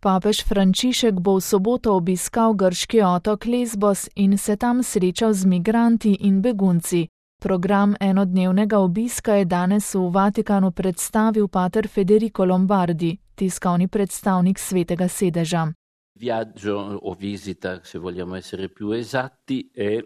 Papež Frančišek bo v soboto obiskal grški otok Lesbos in se tam srečal z migranti in begunci. Program enodnevnega obiska je danes v Vatikanu predstavil pater Federico Lombardi, tiskovni predstavnik Svetega sedeža. Viaggio o visita, se vogliamo essere più esatti, è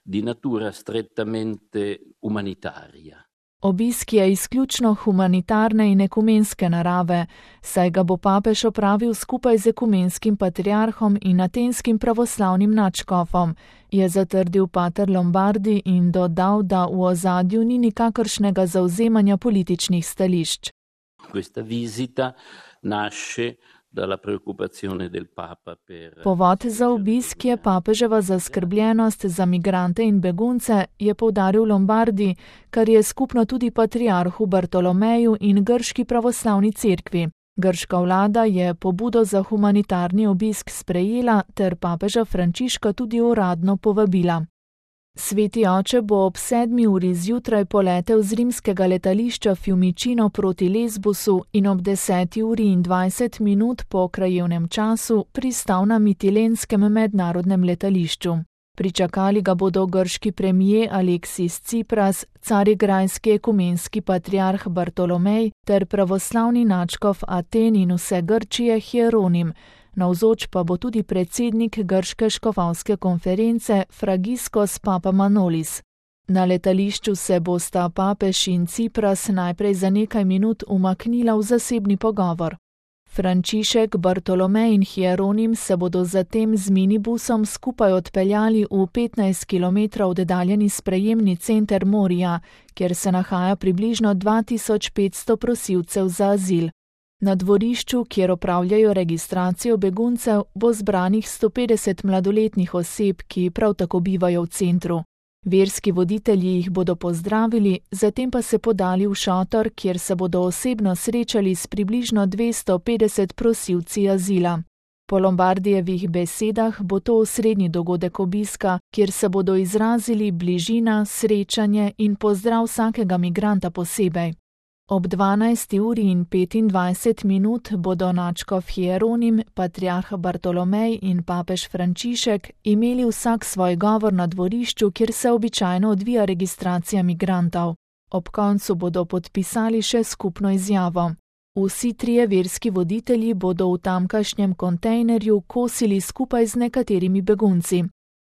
di natura strettamente umanitaria. Obisk je izključno humanitarne in ekumenske narave, saj ga bo papež opravil skupaj z ekumenskim patriarhom in atenskim pravoslavnim nadškofom, je zatrdil pater Lombardi in dodal, da v ozadju ni nikakršnega zavzemanja političnih stališč. Questa visita nasce dalla preoccupazione del Papa per... Povod za obisk je papeževa zaskrbljenost za migrante in begunce, je poudaril Lombardi, kar je skupno tudi patriarhu Bartolomeju in grški pravoslavni cerkvi. Grška vlada je pobudo za humanitarni obisk sprejela ter papeža Frančiška tudi uradno povabila. Sveti oče bo ob 7. uri zjutraj poletel z rimskega letališča Fiumicino proti Lesbosu in ob 10. uri in 20 minut po krajevnem času pristal na Mitilenskem mednarodnem letališču. Pričakali ga bodo grški premijer Aleksis Tsipras, carigrajski ekumenski patriarh Bartolomej ter pravoslavni nadškof Aten in vse Grčije Hieronim. Navzoč pa bo tudi predsednik grške škofovske konference Fragiskos Papamanolis. Na letališču se bosta papež in Tsipras najprej za nekaj minut umaknila v zasebni pogovor. Frančišek, Bartolomej in Hieronim se bodo zatem z minibusom skupaj odpeljali v 15 km oddaljeni sprejemni center Morija, kjer se nahaja približno 2500 prosilcev za azil. Na dvorišču, kjer opravljajo registracijo beguncev, bo zbranih 150 mladoletnih oseb, ki prav tako bivajo v centru. Verski voditelji jih bodo pozdravili, zatem pa se podali v šotor, kjer se bodo osebno srečali s približno 250 prosilci azila. Po Lombardijevih besedah bo to osrednji dogodek obiska, kjer se bodo izrazili bližina, srečanje in pozdrav vsakega migranta posebej. Ob 12. uri in 25 minut bodo nadškof Hieronim, patriarh Bartolomej in papež Frančišek imeli vsak svoj govor na dvorišču, kjer se običajno odvija registracija migrantov. Ob koncu bodo podpisali še skupno izjavo. Vsi trije verski voditelji bodo v tamkajšnjem kontejnerju kosili skupaj z nekaterimi begunci.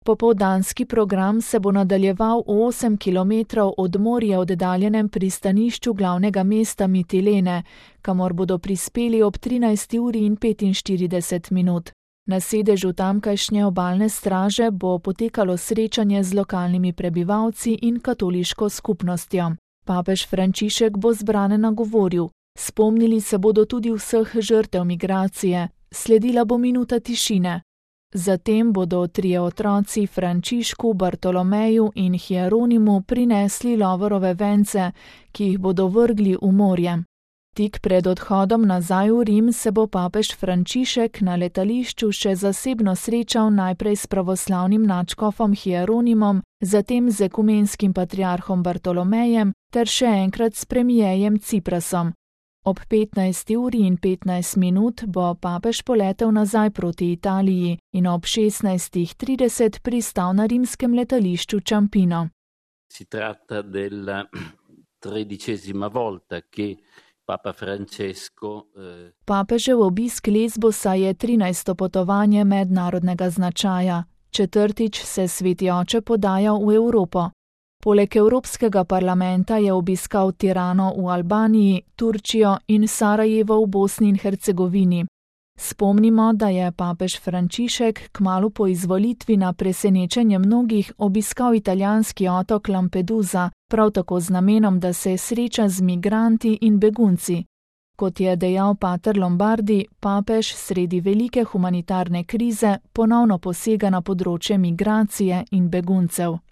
Popoldanski program se bo nadaljeval v 8 km od morja oddaljenem pristanišču glavnega mesta Mitilene, kamor bodo prispeli ob 13. uri in 45 minut. Na sedežu tamkajšnje obalne straže bo potekalo srečanje z lokalnimi prebivalci in katoliško skupnostjo. Papež Frančišek bo zbrane nagovoril. Spomnili se bodo tudi vseh žrtev migracije. Sledila bo minuta tišine. Zatem bodo trije otroci Frančišku, Bartolomeju in Hieronimu prinesli lovorove vence, ki jih bodo vrgli v morje. Tik pred odhodom nazaj v Rim se bo papež Frančišek na letališču še zasebno srečal najprej s pravoslavnim nadškofom Hieronimom, zatem z ekumenskim patriarhom Bartolomejem ter še enkrat s premijejem Tsiprasom. Ob 15. uri in 15 minut bo papež poletel nazaj proti Italiji in ob 16.30 pristal na rimskem letališču Ciampino. Si tratta della 13ª volta che Papa Francesco... Papežev obisk Lesbosa je 13. potovanje mednarodnega značaja. Četrtič se sveti oče podaja v Evropo. Poleg Evropskega parlamenta je obiskal Tirano v Albaniji, Turčijo in Sarajevo v Bosni in Hercegovini. Spomnimo, da je papež Frančišek kmalu po izvolitvi na presenečenje mnogih obiskal italijanski otok Lampedusa, prav tako z namenom, da se sreča z migranti in begunci. Kot je dejal pater Lombardi, papež sredi velike humanitarne krize ponovno posega na področje migracije in beguncev.